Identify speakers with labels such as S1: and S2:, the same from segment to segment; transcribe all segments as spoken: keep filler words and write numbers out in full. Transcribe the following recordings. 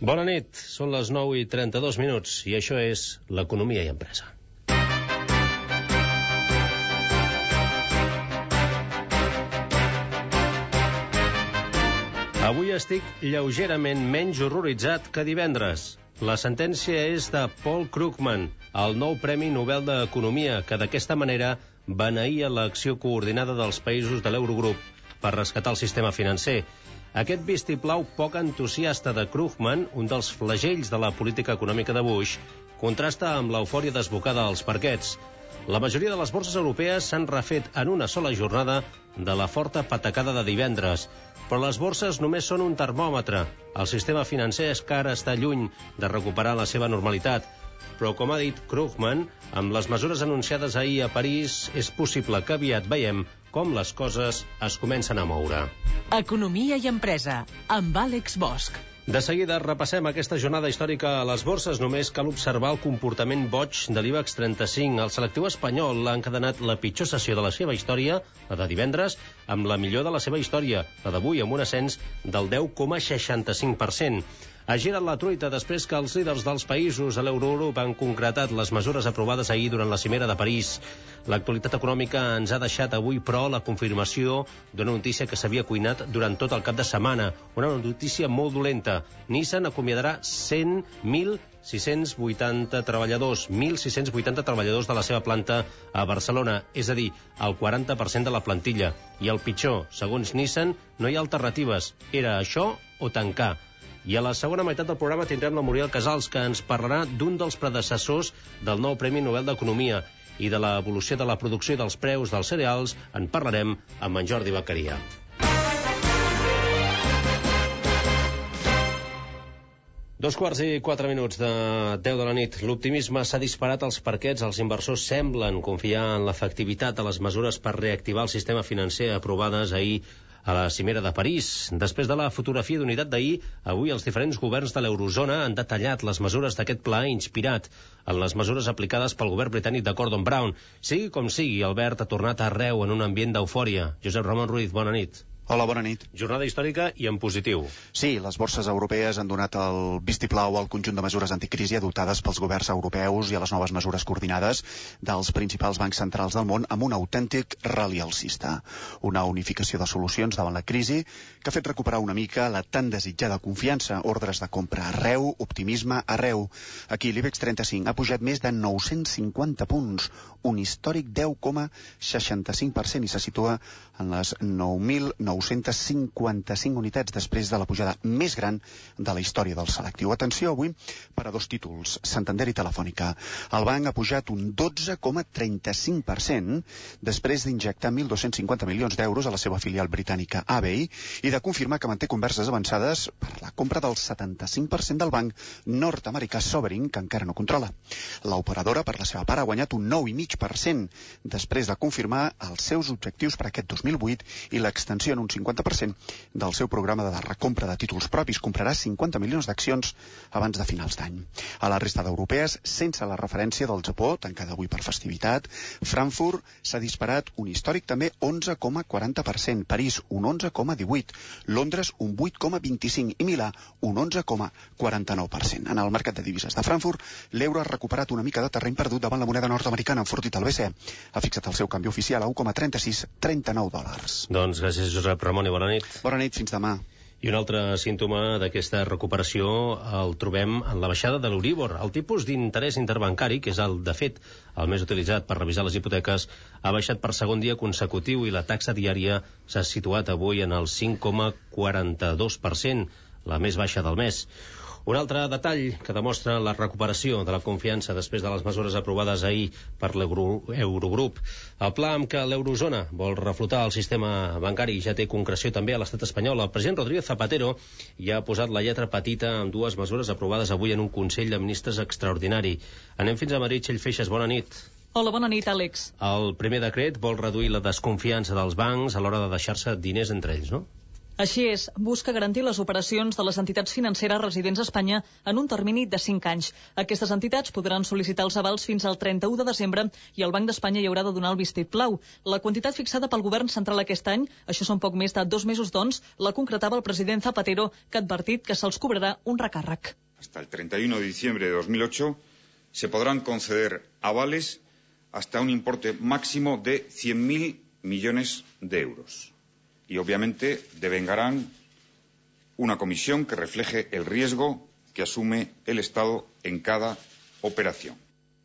S1: Bona nit, són les nou i trenta-dos minuts i això és l'Economia i Empresa. Avui estic lleugerament menys horroritzat que divendres. La sentència és de Paul Krugman, el nou Premi Nobel d'Economia, que d'aquesta manera beneïa l'acció coordinada dels països de l'Eurogrup per rescatar el sistema financer. Aquest vistiplau poc entusiasta de Krugman, un dels flagells de la política econòmica de Bush, contrasta amb l'eufòria desbocada als parquets. La majoria de les borses europees s'han refet en una sola jornada de la forta patacada de divendres. Però les borses només són un termòmetre. El sistema financer encara està lluny de recuperar la seva normalitat. Però, com ha dit Krugman, amb les mesures anunciades ahir a París, és possible que aviat veiem com les coses es comencen a moure.
S2: Economia i Empresa, amb Àlex Bosch.
S1: De seguida repassem aquesta jornada històrica a les borses. Només cal observar el comportament boig de l'IBEX trenta-cinc. El selectiu espanyol ha encadenat la pitjor sessió de la seva història, la de divendres, amb la millor de la seva història, la d'avui, amb un ascens del deu coma seixanta-cinc per cent. Ha girat la truita després que els líders dels països a l'Eurogrup han concretat les mesures aprovades ahir durant la cimera de París. L'actualitat econòmica ens ha deixat avui, però, la confirmació d'una notícia que s'havia cuinat durant tot el cap de setmana. Una notícia molt dolenta. Nissan acomiadarà cent mil sis-cents vuitanta treballadors, mil sis-cents vuitanta treballadors de la seva planta a Barcelona, és a dir, el quaranta per cent de la plantilla. I el pitjor, segons Nissan, no hi ha alternatives. Era això o tancar. I a la segona meitat del programa tindrem la Muriel Casals, que ens parlarà d'un dels predecessors del nou Premi Nobel d'Economia i de l'evolució de la producció i dels preus dels cereals. En parlarem amb en Jordi Beccaria. Dos quarts i quatre minuts de deu de la nit. L'optimisme s'ha disparat als parquets. Els inversors semblen confiar en l'efectivitat de les mesures per reactivar el sistema financer aprovades ahir a la cimera de París. Després de la fotografia d'unitat d'ahir, avui els diferents governs de l'eurozona han detallat les mesures d'aquest pla inspirat en les mesures aplicades pel govern britànic de Gordon Brown. Sigui com sigui, Albert ha tornat arreu en un ambient d'eufòria. Josep Ramon Ruiz, bona nit.
S3: Hola, bona nit.
S1: Jornada històrica i en positiu.
S3: Sí, les borses europees han donat el vistiplau al conjunt de mesures anticrisi adoptades pels governs europeus i a les noves mesures coordinades dels principals bancs centrals del món amb un autèntic rally alcista. Una unificació de solucions davant la crisi que ha fet recuperar una mica la tan desitjada confiança, ordres de compra arreu, optimisme arreu. Aquí l'IBEX trenta-cinc ha pujat més de nou-cents cinquanta punts, un històric deu coma seixanta-cinc per cent i se situa en les nou mil nou-cents cinquanta-cinc unitats després de la pujada més gran de la història del selectiu. Atenció avui per a dos títols, Santander i Telefònica. El banc ha pujat un dotze coma trenta-cinc per cent després d'injectar mil dos-cents cinquanta milions d'euros a la seva filial britànica A B I i de confirmar que manté converses avançades per la compra del setanta-cinc per cent del banc nord-americà Sovereign, que encara no controla. L'operadora, per la seva part, ha guanyat un nou coma cinc per cent després de confirmar els seus objectius per aquest dos mil vuit i l'extensió en un cinquanta per cent del seu programa de recompra de títols propis. Comprarà cinquanta milions d'accions abans de finals d'any. A la resta d'europees, sense la referència del Japó, tancada avui per festivitat, Frankfurt s'ha disparat un històric també onze coma quaranta per cent, París un onze coma divuit, Londres un vuit coma vint-i-cinc i Milà un onze coma quaranta-nou per cent. En el mercat de divises de Frankfurt, l'euro ha recuperat una mica de terreny perdut davant la moneda nord-americana, enfortit el B C E. Ha fixat el seu canvi oficial a un coma trenta-sis trenta-nou dòlars.
S1: Doncs gràcies, Josep Ramon, i bona nit.
S3: Bona nit, fins demà.
S1: I un altre símptoma d'aquesta recuperació el trobem en la baixada de l'Euríbor. El tipus d'interès interbancari, que és el, de fet, el més utilitzat per revisar les hipoteques, ha baixat per segon dia consecutiu i la taxa diària s'ha situat avui en el cinc coma quaranta-dos per cent, la més baixa del mes. Un altre detall que demostra la recuperació de la confiança després de les mesures aprovades ahir per l'Eurogrup. El pla amb què l'eurozona vol reflotar el sistema bancari ja té concreció també a l'estat espanyol. El president Rodríguez Zapatero ja ha posat la lletra petita amb dues mesures aprovades avui en un Consell de Ministres extraordinari. Anem fins a Madrid. Txell Feixes, bona nit.
S2: Hola, bona nit, Àlex.
S1: El primer decret vol reduir la desconfiança dels bancs a l'hora de deixar-se diners entre ells, no?
S4: Així és, busca garantir les operacions de les entitats financeres residents a Espanya en un termini de cinc anys. Aquestes entitats podran sol·licitar els avals fins al trenta-u de desembre i el Banc d'Espanya hi haurà de donar el vistiplau. La quantitat fixada pel govern central aquest any, això són poc més de dos mesos doncs, la concretava el president Zapatero, que ha advertit que se'ls cobrarà un recàrrec.
S5: Hasta el treinta y uno de diciembre de dos mil ocho se podrán conceder avales hasta un importe máximo de cien mil millones de euros. Y obviamente devengarán una comisión que refleje el riesgo que asume el Estado en cada operación.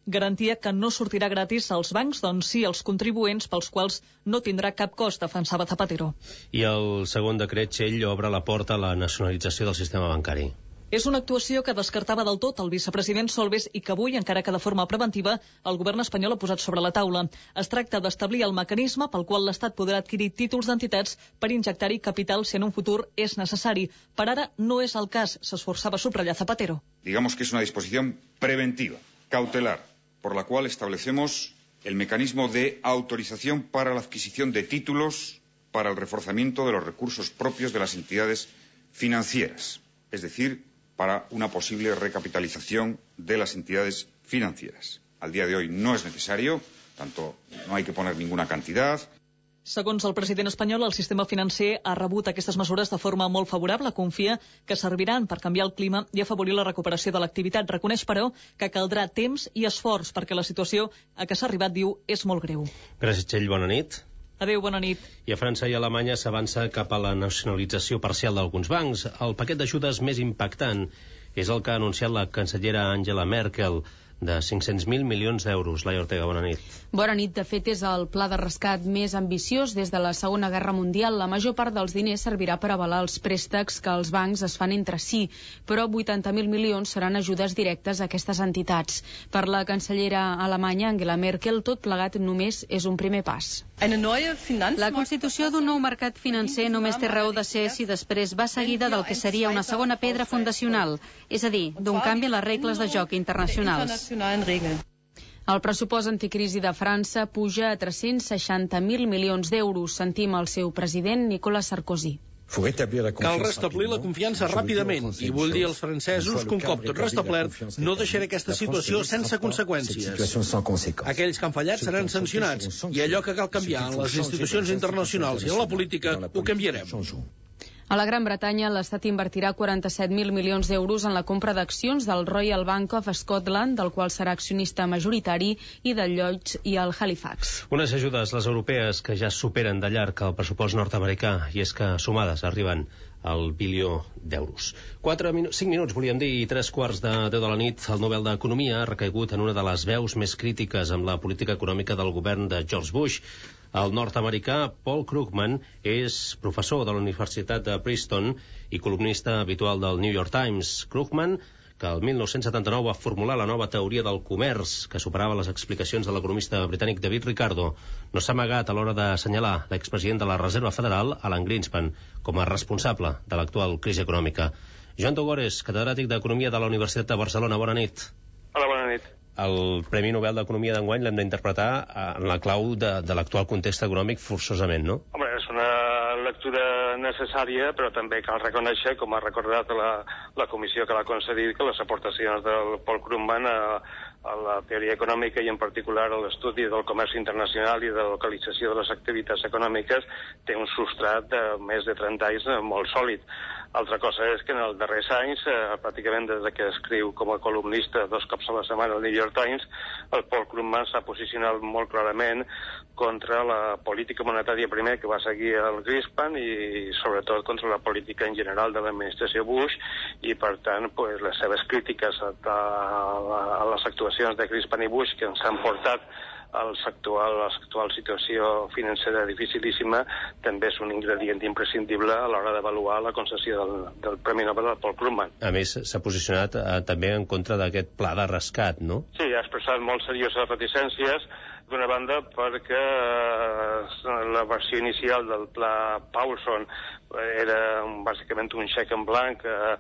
S4: Garantia que no sortirà gratis als bancs, doncs sí als contribuents, pels quals no tindrà cap cost, defensava Zapatero.
S1: I el segon decret, Txell, obre la porta a la nacionalització del sistema bancari.
S4: És una actuació que descartava del tot el vicepresident Solbes i que avui, encara que de forma preventiva, el govern espanyol ha posat sobre la taula. Es tracta d'establir el mecanisme pel qual l'Estat podrà adquirir títols d'entitats per injectar-hi capital si en un futur és necessari. Per ara no és el cas, s'esforçava a subratllar Zapatero.
S5: Digamos que es una disposición preventiva, cautelar, por la cual establecemos el mecanismo de autorización para la adquisición de títulos para el reforzamiento de los recursos propios de las entidades financieras, es decir, para una posible recapitalización de las entidades financieras. Al día de hoy no es necesario, tanto no hay que poner ninguna cantidad.
S4: Segons el president espanyol, el sistema financer ha rebut aquestes mesures de forma molt favorable. Confia que serviran per canviar el clima i afavorir la recuperació de l'activitat. Reconeix, però, que caldrà temps i esforç perquè la situació a què s'ha arribat, diu, és molt greu.
S1: Gràcies, Txell. Bona nit.
S4: Adéu, bona nit.
S1: I a França i a Alemanya s'avança cap a la nacionalització parcial d'alguns bancs. El paquet d'ajudes més impactant és el que ha anunciat la cancellera Angela Merkel, de cinc-cents mil milions d'euros. Laia Ortega, bona nit.
S6: Bona nit. De fet, és el pla de rescat més ambiciós des de la Segona Guerra Mundial. La major part dels diners servirà per avalar els préstecs que els bancs es fan entre si, però vuitanta mil milions seran ajudes directes a aquestes entitats. Per la cancellera alemanya, Angela Merkel, tot plegat només és un primer pas. La constitució d'un nou mercat financer només té raó de ser si després va seguida del que seria una segona pedra fundacional, és a dir, d'un canvi en les regles de joc internacionals. El pressupost anticrisi de França puja a tres-cents seixanta mil milions d'euros. Sentim el seu president, Nicolas Sarkozy.
S7: Cal restablir la confiança ràpidament i vull dir als francesos que un cop tot restablert no deixaré aquesta situació sense conseqüències. Aquells que han fallat seran sancionats i allò que cal canviar en les institucions internacionals i en la política ho canviarem.
S6: A la Gran Bretanya, l'Estat invertirà quaranta-set mil milions d'euros en la compra d'accions del Royal Bank of Scotland, del qual serà accionista majoritari, i del Lloyds i el Halifax.
S1: Unes ajudes, les europees, que ja superen de llarg el pressupost nord-americà, i és que sumades arriben al bilió d'euros. Quatre minu cinc minuts, volíem dir, i tres quarts de deu de la nit, el Nobel d'Economia ha recaigut en una de les veus més crítiques amb la política econòmica del govern de George Bush. El nord-americà Paul Krugman és professor de la Universitat de Princeton i columnista habitual del New York Times. Krugman, que el mil nou-cents setanta-nou va formular la nova teoria del comerç, que superava les explicacions de l'economista britànic David Ricardo, no s'ha amagat a l'hora d'assenyalar l'expresident de la Reserva Federal, Alan Greenspan, com a responsable de l'actual crisi econòmica. Joan Togores, catedràtic d'Economia de la Universitat de Barcelona, bona nit.
S8: Hola, bona nit.
S1: El Premi Nobel d'Economia d'enguany l'hem d'interpretar en la clau de, de l'actual context econòmic forçosament, no?
S8: Home, és una lectura necessària, però també cal reconèixer, com ha recordat la, la comissió que l'ha concedit, que les aportacions del Paul Krugman a, a la teoria econòmica i en particular a l'estudi del comerç internacional i de la localització de les activitats econòmiques té un substrat de més de trenta anys molt sòlid. Altra cosa és que en els darrers anys, eh, pràcticament des que escriu com a columnista dos cops a la setmana al New York Times, el Paul Krugman s'ha posicionat molt clarament contra la política monetària primer que va seguir el Greenspan i sobretot contra la política en general de l'administració Bush i per tant pues, les seves crítiques a, a, a les actuacions de Greenspan i Bush que ens han portat a l'actual situació financera dificilíssima també és un ingredient imprescindible a l'hora d'avaluar la concessió del, del Premi Nobel del Paul Krugman.
S1: A més, s'ha posicionat eh, també en contra d'aquest pla de rescat, no?
S8: Sí, ha expressat molt serioses reticències, d'una banda perquè eh, la versió inicial del pla Paulson era bàsicament un xec en blanc eh,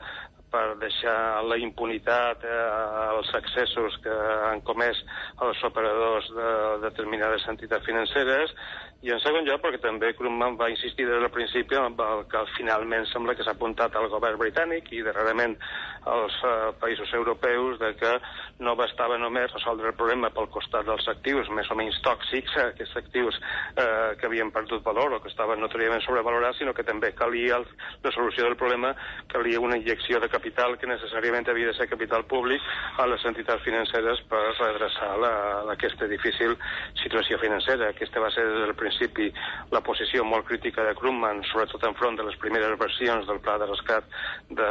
S8: per deixar la impunitat eh, als excessos que han comès els operadors de determinades entitats financeres, i en segon lloc perquè també Krugman va insistir des del principi en el que finalment sembla que s'ha apuntat al govern britànic i darrerament als eh, països europeus, de que no bastava només resoldre el problema pel costat dels actius més o menys tòxics, eh, aquests actius eh, que havien perdut valor o que estaven notoriament sobrevalorats, sinó que també calia el, la solució del problema, calia una injecció de capital que necessàriament havia de ser capital públic a les entitats financeres per redreçar la, aquesta difícil situació financera. Aquesta va ser des del principi la posició molt crítica de Krugman, sobretot enfront de les primeres versions del pla de rescat de,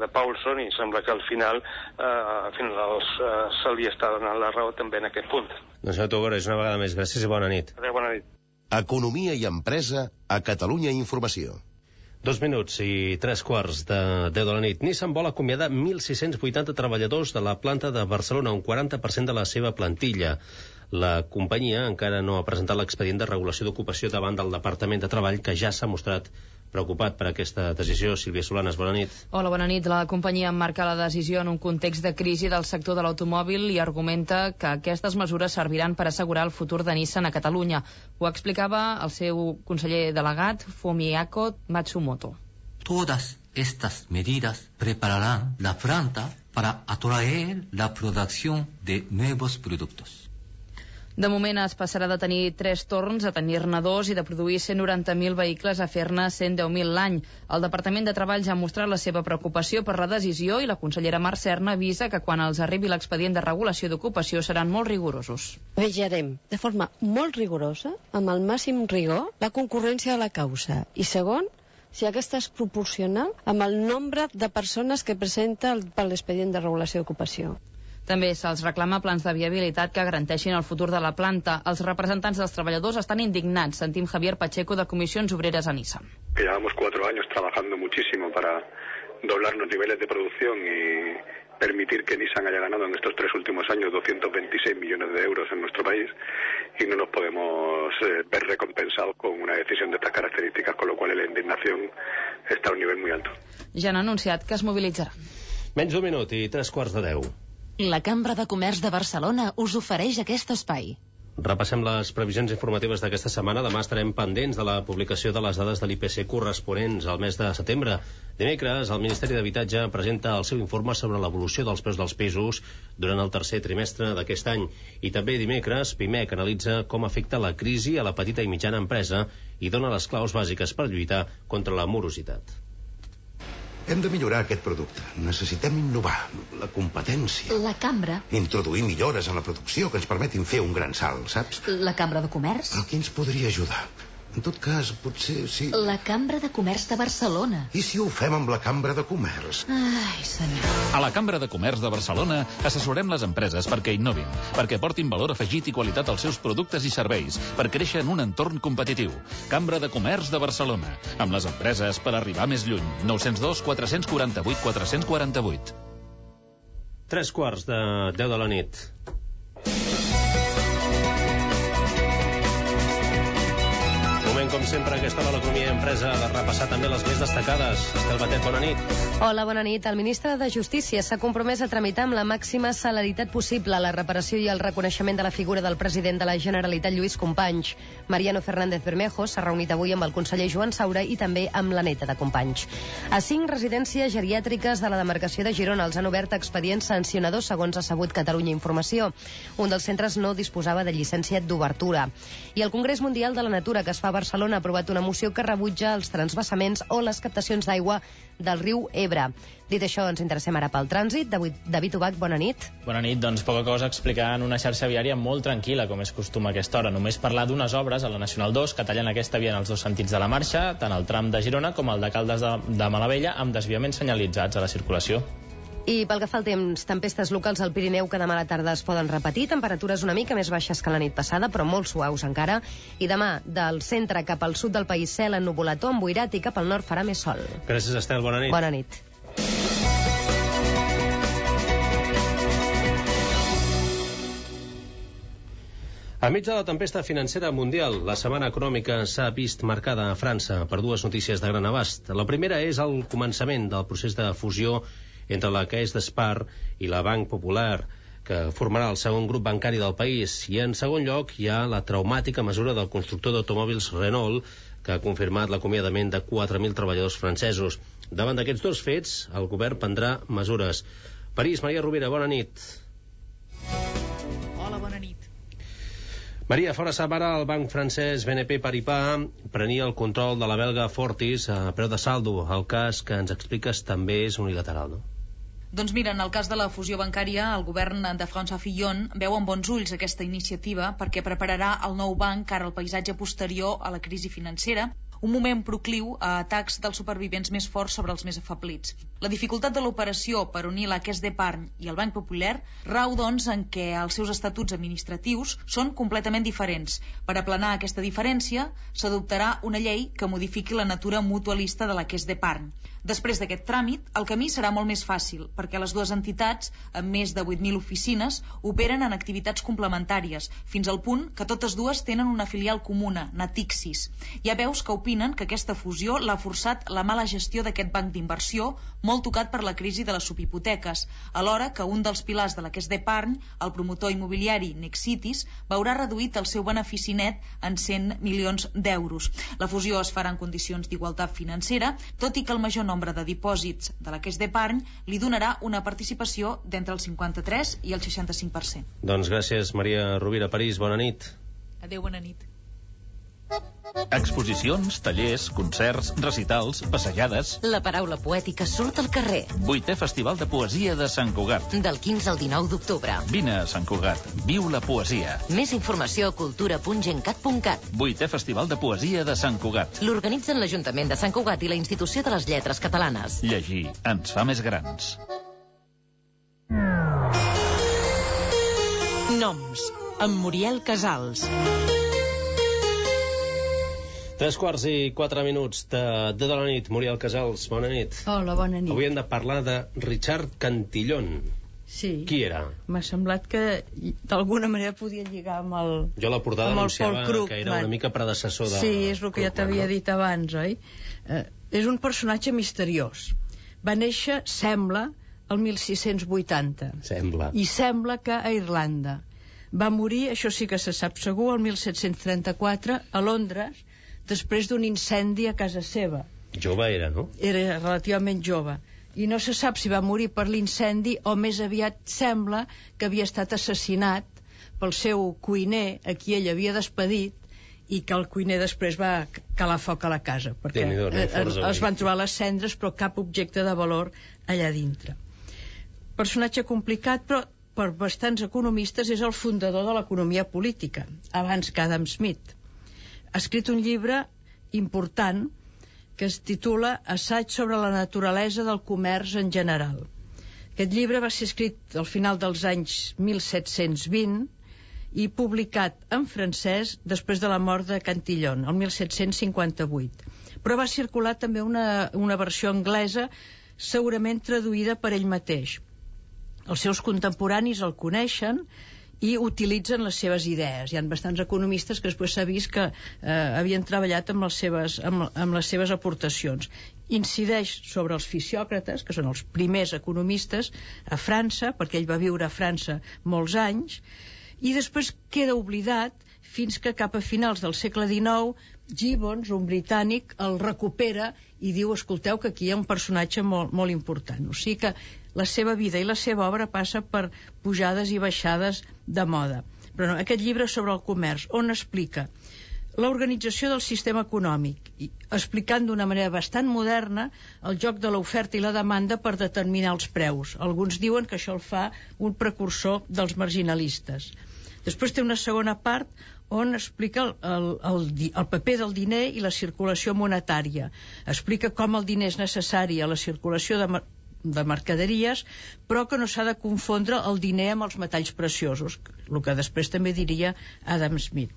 S8: de Paulson, i sembla que al final, eh, al final eh, se li està donant la raó també en aquest punt.
S1: Doncs senyor Tugores, una vegada més, gràcies i bona nit.
S8: Adéu, bona nit.
S9: Economia i empresa a Catalunya Informació.
S1: Dos minuts i tres quarts de deu de la nit. Nissan vol acomiadar mil sis-cents vuitanta treballadors de la planta de Barcelona, un quaranta per cent de la seva plantilla. La companyia encara no ha presentat l'expedient de regulació d'ocupació davant del Departament de Treball, que ja s'ha mostrat preocupat per aquesta decisió. Sílvia Solanes, bona nit.
S6: Hola, bona nit. La companyia emmarca la decisió en un context de crisi del sector de l'automòbil i argumenta que aquestes mesures serviran per assegurar el futur de Nissan a Catalunya. Ho explicava el seu conseller delegat, Fumihiko Matsumoto.
S10: Todas estas medidas prepararán la planta para atraer la producción de nuevos productos.
S6: De moment es passarà de tenir tres torns a tenir-ne dos i de produir cent noranta mil vehicles a fer-ne cent deu mil l'any. El Departament de Treball ja ha mostrat la seva preocupació per la decisió i la consellera Mar Serna avisa que quan els arribi l'expedient de regulació d'ocupació seran molt rigorosos.
S11: Vigilarem de forma molt rigorosa, amb el màxim rigor, la concurrència de la causa. I segon, si aquesta és proporcional amb el nombre de persones que presenta per l'expedient de regulació d'ocupació.
S6: També se'ls reclama plans de viabilitat que garanteixin el futur de la planta. Els representants dels treballadors estan indignats. Sentim Javier Pacheco de Comisiones Obreras a Nissan.
S12: Que llevamos cuatro años trabajando muchísimo para doblar los niveles de producción y permitir que Nissan haya ganado en estos tres últimos años doscientos veintiséis millones de euros en nuestro país, y no nos podemos eh, ver recompensados con una decisión de estas características, con lo cual la indignación está a un nivel muy alto.
S6: Ja han anunciat que es mobilitzaran.
S1: Menys d'un minut i tres quarts de deu.
S2: La Cambra de Comerç de Barcelona us ofereix aquest espai.
S1: Repassem les previsions informatives d'aquesta setmana. Demà estarem pendents de la publicació de les dades de l'I P C corresponents al mes de setembre. Dimecres, el Ministeri d'Habitatge presenta el seu informe sobre l'evolució dels preus dels pisos durant el tercer trimestre d'aquest any. I també dimecres, Pimec analitza com afecta la crisi a la petita i mitjana empresa i dona les claus bàsiques per lluitar contra la morositat.
S9: Hem de millorar aquest producte. Necessitem innovar. La competència.
S2: La Cambra.
S9: Introduir millores en la producció que ens permetin fer un gran salt, saps?
S2: La Cambra de Comerç.
S9: El que ens podria ajudar. En tot cas, potser sí...
S2: La Cambra de Comerç de Barcelona.
S9: I si ho fem amb la Cambra de Comerç?
S2: Ai, senyor.
S13: A la Cambra de Comerç de Barcelona assessorem les empreses perquè innovin, perquè portin valor afegit i qualitat als seus productes i serveis, per créixer en un entorn competitiu. Cambra de Comerç de Barcelona, amb les empreses per arribar més lluny. nou zero dos, quatre quatre vuit, quatre quatre vuit.
S1: Tres quarts de deu de la nit. Com sempre, aquesta hora l'economia i empresa ha de repassar també les més destacades. Estel Batet, bona nit.
S14: Hola, bona nit. El ministre de Justícia s'ha compromès a tramitar amb la màxima celeritat possible la reparació i el reconeixement de la figura del president de la Generalitat, Lluís Companys. Mariano Fernández Bermejo s'ha reunit avui amb el conseller Joan Saura i també amb la neta de Companys. A cinc residències geriàtriques de la demarcació de Girona els han obert expedients sancionadors, segons ha sabut Catalunya Informació. Un dels centres no disposava de llicència d'obertura. I el Congrés Mundial de la Natura, que es fa a Barcelona, ha aprovat una moció que rebutja els transvasaments o les captacions d'aigua del riu Ebre. Dit això, ens interessem ara pel trànsit. David Ubach, bona nit.
S15: Bona nit. Doncs poca cosa a explicar en una xarxa viària molt tranquil·la, com és costum a aquesta hora. Només parlar d'unes obres a la Nacional dos que tallen aquesta via en els dos sentits de la marxa, tant el tram de Girona com el de Caldes de, de Malavella, amb desviaments senyalitzats a la circulació.
S14: I pel que fa al temps, tempestes locals al Pirineu que demà a la tarda es poden repetir, temperatures una mica més baixes que la nit passada, però molt suaus encara, i demà del centre cap al sud del país cel ennuvolat o emboirat i cap al nord farà més sol.
S1: Gràcies, Estel, bona nit.
S14: Bona nit.
S1: Enmig de la tempesta financera mundial, la setmana econòmica s'ha vist marcada a França per dues notícies de gran abast. La primera és el començament del procés de fusió entre la Caisse d'Espar i la Banque Popular, que formarà el segon grup bancari del país. I en segon lloc hi ha la traumàtica mesura del constructor d'automòbils Renault, que ha confirmat l'acomiadament de quatre mil treballadors francesos. Davant d'aquests dos fets, el govern prendrà mesures. París, Maria Rovira, bona nit.
S16: Hola, bona nit.
S1: Maria, fora setmana el banc francès B N P Paribas prenia el control de la belga Fortis a preu de saldo. El cas que ens expliques també és unilateral, no?
S16: Doncs mira, en el cas de la fusió bancària, el govern de François Fillon veu amb bons ulls aquesta iniciativa perquè prepararà el nou banc cara al paisatge posterior a la crisi financera, un moment procliu a atacs dels supervivents més forts sobre els més afablits. La dificultat de l'operació per unir la Caisse d'Epargne i el Banc Popular rau, doncs, en què els seus estatuts administratius són completament diferents. Per aplanar aquesta diferència, s'adoptarà una llei que modifiqui la natura mutualista de la Caisse d'Epargne. Després d'aquest tràmit, el camí serà molt més fàcil, perquè les dues entitats, amb més de vuit mil oficines, operen en activitats complementàries, fins al punt que totes dues tenen una filial comuna, Natixis. Hi ha veus que opinen que aquesta fusió l'ha forçat la mala gestió d'aquest banc d'inversió, molt tocat per la crisi de les subhipoteques, alhora que un dels pilars de la Caisse d'Epargne, el promotor immobiliari Nexitis, veurà reduït el seu benefici net en cent milions d'euros. La fusió es farà en condicions d'igualtat financera, tot i que el major nombre de dipòsits de la Caisse d'Epargne li donarà una participació d'entre el cinquanta-tres i el seixanta-cinc per cent.
S1: Doncs gràcies, Maria Rovira. París, bona nit.
S16: Adéu, bona nit.
S13: Exposicions, tallers, concerts, recitals, passejades...
S17: La paraula poètica surt al carrer.
S13: Vuitè Festival de Poesia de Sant Cugat.
S17: Del quinze al dinou d'octubre.
S13: Vine a Sant Cugat. Viu la poesia.
S17: Més informació a cultura punt gencat punt cat.
S13: Vuitè Festival de Poesia de Sant Cugat.
S17: L'organitzen l'Ajuntament de Sant Cugat i la Institució de les Lletres Catalanes.
S13: Llegir ens fa més grans.
S2: Noms, amb Muriel Casals.
S1: Tres quarts i quatre minuts de, de la nit. Muriel Casals, bona nit.
S18: Hola, bona nit.
S1: Avui hem de parlar de Richard Cantillon.
S18: Sí.
S1: Qui era?
S18: M'ha semblat que d'alguna manera podia lligar amb el...
S1: Jo la portada anunciava que era una mica predecessor de...
S18: Sí, és el que ja t'havia dit abans, oi? Eh, és un personatge misteriós. Va néixer, sembla, el mil sis-cents vuitanta.
S1: Sembla.
S18: I sembla que a Irlanda. Va morir, això sí que se sap segur, el mil set-cents trenta-quatre a Londres, després d'un incendi a casa seva.
S1: Jove era, no?
S18: Era relativament jove. I no se sap si va morir per l'incendi o més aviat sembla que havia estat assassinat pel seu cuiner, a qui ell havia despedit, i que el cuiner després va calar foc a la casa, perquè es van trobar les cendres però cap objecte de valor allà dintre. Personatge complicat, però per bastants economistes és el fundador de l'economia política, abans que Adam Smith. Ha escrit un llibre important que es titula Assaig sobre la naturalesa del comerç en general. Aquest llibre va ser escrit al final dels anys mil set-cents vint i publicat en francès després de la mort de Cantillon, el mil set-cents cinquanta-vuit. Però va circular també una, una versió anglesa segurament traduïda per ell mateix. Els seus contemporanis el coneixen i utilitzen les seves idees. Hi ha bastants economistes que després s'ha vist que eh, havien treballat amb les, seves, amb, amb les seves aportacions. Incideix sobre els fisiòcrates, que són els primers economistes a França, perquè ell va viure a França molts anys, i després queda oblidat fins que cap a finals del segle dinou Gibbons, un britànic, el recupera i diu, escolteu, que aquí hi ha un personatge molt, molt important. O sigui que la seva vida i la seva obra passa per pujades i baixades de moda. Però no, aquest llibre sobre el comerç, on explica l'organització del sistema econòmic, explicant d'una manera bastant moderna el joc de l'oferta i la demanda per determinar els preus. Alguns diuen que això el fa un precursor dels marginalistes. Després té una segona part on explica el, el, el, el paper del diner i la circulació monetària. Explica com el diner és necessari a la circulació de, de mercaderies, però que no s'ha de confondre el diner amb els metalls preciosos, el que després també diria Adam Smith.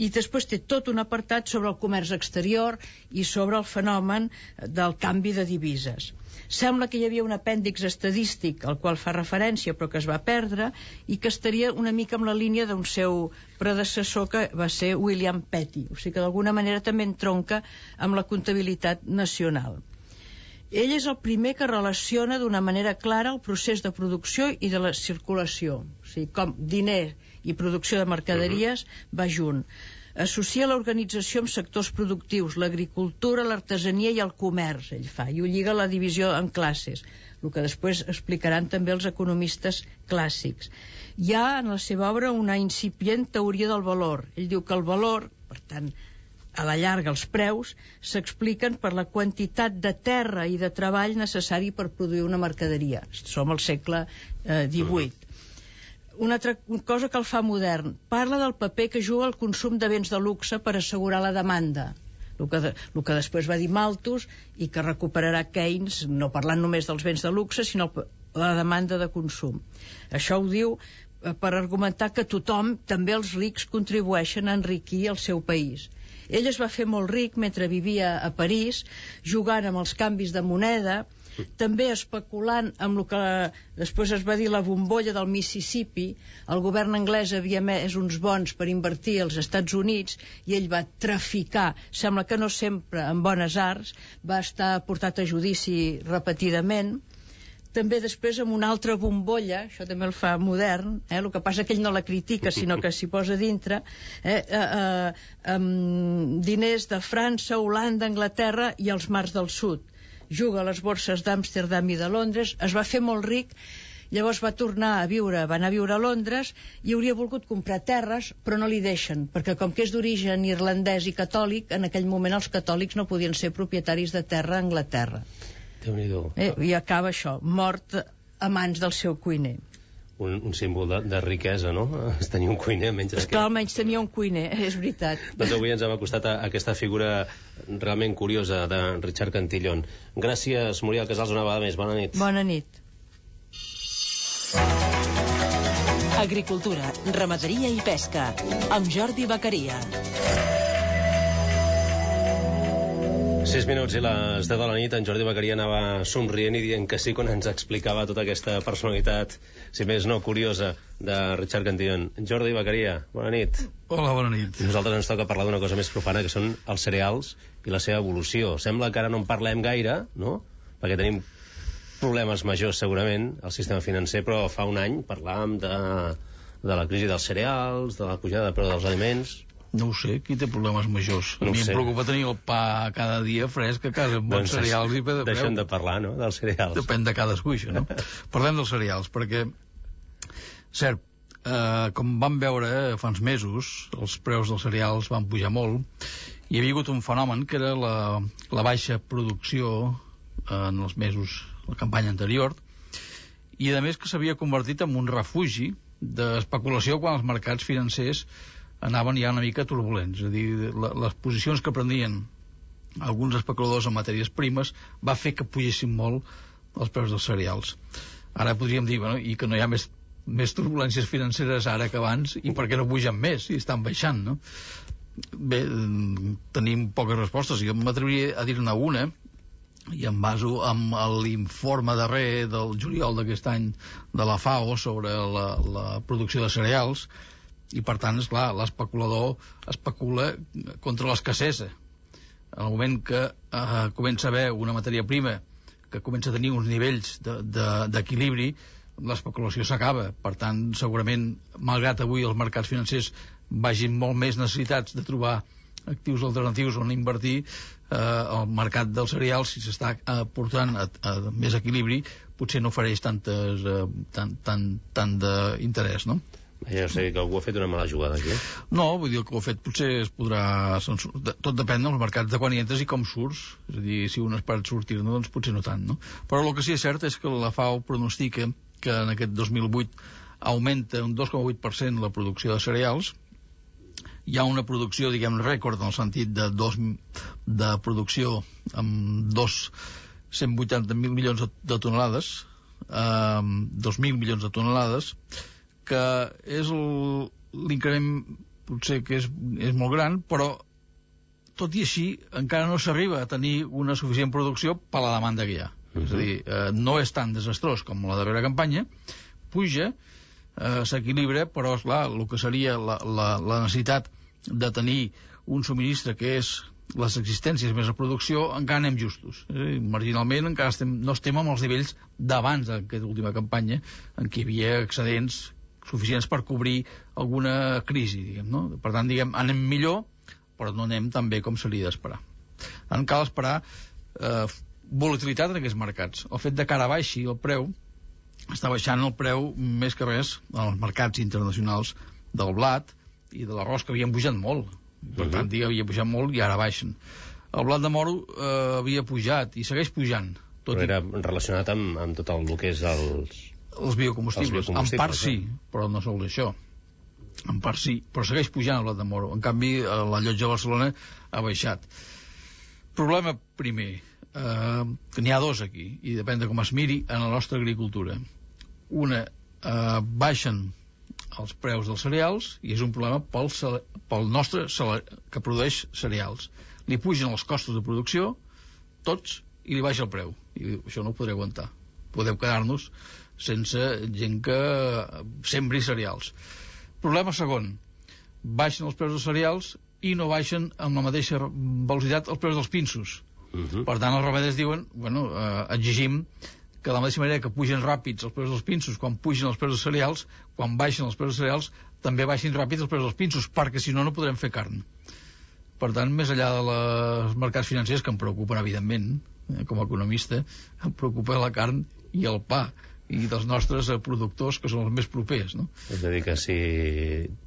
S18: I després té tot un apartat sobre el comerç exterior i sobre el fenomen del canvi de divises. Sembla que hi havia un apèndix estadístic al qual fa referència però que es va perdre i que estaria una mica amb la línia d'un seu predecessor que va ser William Petty, o sigui que d'alguna manera també entronca amb la comptabilitat nacional. Ell és el primer que relaciona d'una manera clara el procés de producció i de la circulació, o sigui, com diner i producció de mercaderies va junt. Associa l'organització amb sectors productius, l'agricultura, l'artesania i el comerç, ell fa, i ho lliga a la divisió en classes, el que després explicaran també els economistes clàssics. Hi ha en la seva obra una incipient teoria del valor. Ell diu que el valor, per tant, a la llarga els preus, s'expliquen per la quantitat de terra i de treball necessari per produir una mercaderia. Som al segle eh, divuit. Una altra cosa que el fa modern, parla del paper que juga el consum de béns de luxe per assegurar la demanda, el que, de, el que després va dir Malthus i que recuperarà Keynes, no parlant només dels béns de luxe, sinó la demanda de consum. Això ho diu eh, per argumentar que tothom, també els rics, contribueixen a enriquir el seu país. Ell es va fer molt ric mentre vivia a París, jugant amb els canvis de moneda, també especulant amb el que després es va dir la bombolla del Mississippi. El govern anglès havia emès uns bons per invertir als Estats Units i ell va traficar, sembla que no sempre en bones arts, va estar portat a judici repetidament. També després amb una altra bombolla, això també el fa modern, eh? El que passa que ell no la critica, sinó que s'hi posa dintre, eh? Eh, eh, amb diners de França, Holanda, Anglaterra i els mars del sud. Juga a les borses d'Amsterdam i de Londres, es va fer molt ric, llavors va tornar a viure, va anar a viure a Londres i hauria volgut comprar terres, però no li deixen, perquè com que és d'origen irlandès i catòlic, en aquell moment els catòlics no podien ser propietaris de terra a Anglaterra. Eh, I acaba això, mort a mans del seu cuiner.
S1: Un, un símbol de, de riquesa, no? Es tenia un cuiner menys
S18: d'aquest. Esclar, almenys tenia un cuiner, és veritat.
S1: Doncs avui ens hem acostat a aquesta figura realment curiosa de Richard Cantillon. Gràcies, Muriel Casals, una vegada més. Bona nit.
S18: Bona nit.
S2: Agricultura, ramaderia i pesca, amb Jordi Beccaria.
S1: Sis minuts i les deu de la nit, en Jordi Beccaria anava somrient i dient que sí quan ens explicava tota aquesta personalitat, si més no curiosa, de Richard Cantillon. Jordi Beccaria, bona nit.
S19: Hola, bona nit.
S1: Nosaltres ens toca parlar d'una cosa més profana, que són els cereals i la seva evolució. Sembla que ara no en parlem gaire, no? Perquè tenim problemes majors, segurament, al sistema financer, però fa un any parlàvem de, de la crisi dels cereals, de la pujada de preu dels aliments.
S19: No ho sé, qui té problemes majors? A
S1: no
S19: mi em preocupa tenir el pa cada dia fresc a casa, amb bons doncs cereals i pe de preu.
S1: Deixem de parlar, no?, dels cereals.
S19: Depèn de cadascú, això, no? Parlem dels cereals, perquè, cert, eh, com vam veure eh, fa uns mesos, els preus dels cereals van pujar molt, i hi havia hagut un fenomen que era la, la baixa producció eh, en els mesos, la campanya anterior, i a més que s'havia convertit en un refugi d'especulació quan els mercats financers anaven ja una mica turbulents. És a dir, la, les posicions que prendien alguns especuladors en matèries primes va fer que pugessin molt els preus dels cereals. Ara podríem dir, bueno, i que no hi ha més, més turbulències financeres ara que abans, i per què no pugen més, i estan baixant, no? Bé, tenim poques respostes, jo m'atreviria a dir-ne una, i em baso amb l'informe darrer del juliol d'aquest any de la FAO sobre la, la producció de cereals, i per tant, esclar, l'especulador especula contra l'escassesa. En el moment que eh, comença a haver una matèria prima que comença a tenir uns nivells d'equilibri, de, de, l'especulació s'acaba. Per tant, segurament, malgrat avui els mercats financers vagin molt més necessitats de trobar actius alternatius on invertir, eh, el mercat dels cereals, si s'està eh, portant a, a més equilibri, potser no ofereix tantes, eh, tant, tant, tant d'interès, no?
S1: Ja sé que algú ha fet una mala jugada aquí.
S19: No, vull dir que ho ha fet potser es podrà... Tot depèn dels mercats de quan hi entres i com surts. És a dir, si un espera sortir-ne, doncs potser no tant, no? Però el que sí és cert és que la FAO pronostica que en aquest dos mil vuit augmenta un dos coma vuit per cent la producció de cereals. Hi ha una producció, diguem, rècord, en el sentit de, dos, de producció amb dos cent vuitanta mil milions de tonelades, eh, dos mil milions de tonelades, que és l'increment potser que és, és molt gran, però tot i així encara no s'arriba a tenir una suficient producció per la demanda que hi ha. Uh-huh. És a dir, eh, no és tan desastrós com la darrera campanya, puja, eh, s'equilibra, però, esclar, el que seria la, la, la necessitat de tenir un subministre que és les existències més a producció, encara anem justos. Eh? Marginalment encara estem, no estem amb els nivells d'abans d'aquesta última campanya, en què hi havia excedents suficients per cobrir alguna crisi, diguem, no? Per tant, diguem, anem millor, però no anem tan bé com s'hauria d'esperar. En cal esperar eh, volatilitat en aquests mercats. El fet de que ara baixi el preu, està baixant el preu més que res en els mercats internacionals del blat i de l'arròs, que havien pujat molt. Per tant, uh-huh. havia pujat molt i ara baixen. El blat de moro eh, havia pujat i segueix pujant. Tot
S1: però
S19: i...
S1: era relacionat amb, amb tot el que és els...
S19: Els biocombustibles. Els biocombustibles. En part sí, però no sol això. En part sí, però segueix pujant el blat de moro. En canvi, la llotja de Barcelona ha baixat. Problema primer, eh, que n'hi ha dos aquí, i depèn de com es miri en la nostra agricultura. Una, eh, baixen els preus dels cereals, i és un problema pel, pel nostre que produeix cereals. Li pugen els costos de producció, tots, i li baixa el preu. I això no ho podré aguantar. Podem quedar-nos sense gent que sembri cereals. Problema segon, baixen els preus dels cereals i no baixen amb la mateixa velocitat els preus dels pinsos. Uh-huh. Per tant, els ramaders diuen, bueno, eh, exigim que de la mateixa manera que pugen ràpids els preus dels pinsos quan pugen els preus dels cereals, quan baixen els preus dels cereals, també baixin ràpids els preus dels pinsos, perquè si no, no podrem fer carn. Per tant, més enllà dels mercats financers, que em preocupen, evidentment, eh, com a economista, em preocupa la carn i el pa, i dels nostres eh, productors, que són els més propers, no?
S1: És a dir, que si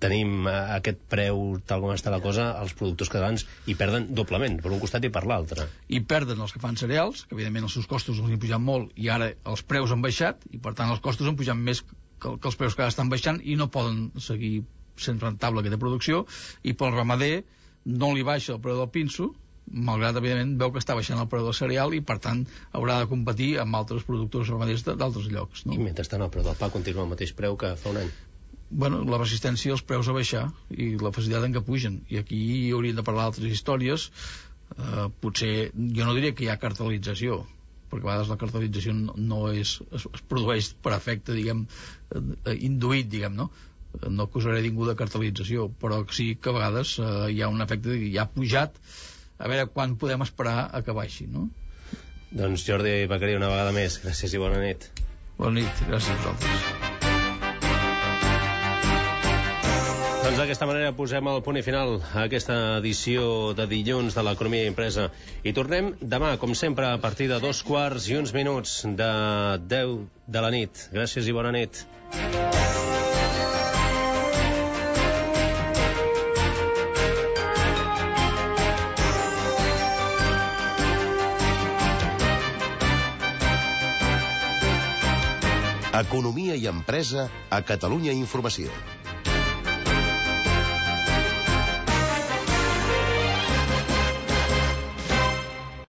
S1: tenim aquest preu tal com està la cosa, els productors catalans hi perden doblement, per un costat i per l'altre.
S19: I perden els que fan cereals, que evidentment els seus costos els han pujat molt, i ara els preus han baixat, i per tant els costos han pujat més que, que els preus que ara estan baixant, i no poden seguir sent rentable aquesta producció, i pel ramader no li baixa el preu del pinso, malgrat, evidentment, veu que està baixant el preu del cereal i, per tant, haurà de competir amb altres productors ramaders d'altres llocs. No?
S1: I mentrestant el preu del pa continua al mateix preu que fa un any.
S19: Bueno, la resistència als preus a baixar i la facilitat en què pugen. I aquí hauríem de parlar d'altres històries. Eh, potser, jo no diria que hi ha cartelització, perquè a vegades la cartelització no, no és, es, es produeix per efecte, diguem, eh, induït, diguem, no? No acusaré ningú de cartelització, però sí que a vegades eh, hi ha un efecte que ja ha pujat, a veure quan podem esperar a que baixi, no?
S1: Doncs Jordi Beccaria, una vegada més, gràcies i bona nit.
S19: Bona nit, gràcies a vosaltres.
S1: Doncs d'aquesta manera posem el punt i final a aquesta edició de dilluns de l'Economia Impresa. I tornem demà, com sempre, a partir de dos quarts i uns minuts de deu de la nit. Gràcies i bona nit.
S20: Economia i empresa a Catalunya Informació.